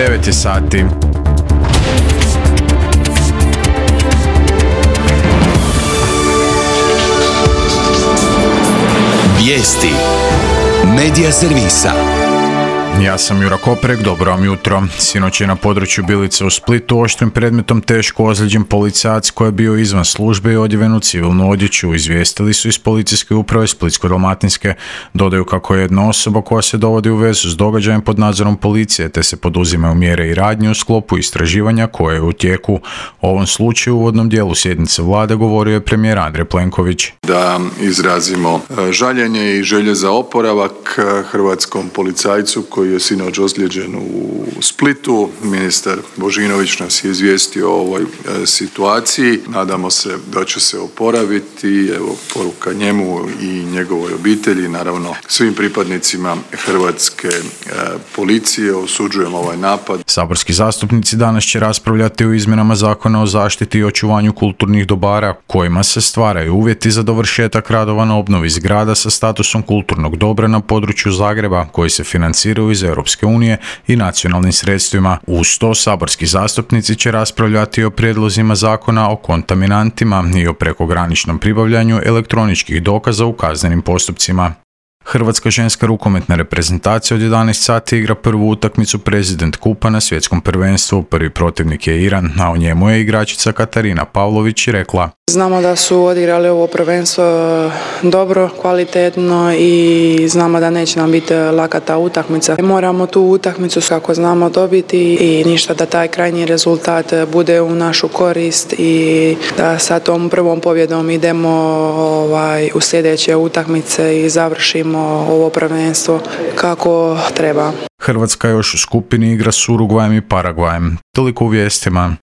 9 je sati. Vijesti Medija servisa. Ja sam Jura Koprek, dobro vam jutro. Sinoć je na području Bilice u Splitu oštrim predmetom teško ozlijeđen policajac koji je bio izvan službe i odjeven u civilnu odjeću. Izvijestili su iz policijske uprave Splitsko-dalmatinske. Dodaju kako je jedna osoba koja se dovodi u vezu s događajem pod nadzorom policije, te se poduzimaju mjere i radnje u sklopu istraživanja koje je u tijeku. O ovom slučaju u uvodnom dijelu sjednice vlade govorio je premijer Andrej Plenković. Da izrazimo žaljenje i želje za oporavak hrvatskom policajcu koji je sinoć ozlijeđen u Splitu. Ministar Božinović nas je izvijestio o ovoj situaciji. Nadamo se da će se oporaviti. Evo, poruka njemu i njegovoj obitelji, naravno svim pripadnicima hrvatske policije. Osuđujemo ovaj napad. Saborski zastupnici danas će raspravljati o izmjenama Zakona o zaštiti i očuvanju kulturnih dobara, kojima se stvaraju uvjeti za dovršetak radova na obnovi zgrada sa statusom kulturnog dobra na području Zagreba, koji se financiraju iz Europske unije i nacionalnim sredstvima. Uz to saborski zastupnici će raspravljati o prijedlozima zakona o kontaminantima i o prekograničnom pribavljanju elektroničkih dokaza u kaznenim postupcima. Hrvatska ženska rukometna reprezentacija od 11 sati igra prvu utakmicu President Kupa na svjetskom prvenstvu. Prvi protivnik je Iran, a u njemu je igračica Katarina Pavlović rekla: Znamo da su odigrali ovo prvenstvo dobro, kvalitetno i znamo da neće nam biti laka ta utakmica. Moramo tu utakmicu kako znamo dobiti i ništa da taj krajnji rezultat bude u našu korist i da sa tom prvom pobjedom idemo u sljedeće utakmice i završimo ovo prvenstvo kako treba. Hrvatska još u skupini igra s Urugvajem i Paragvajem. Toliko u vijestima.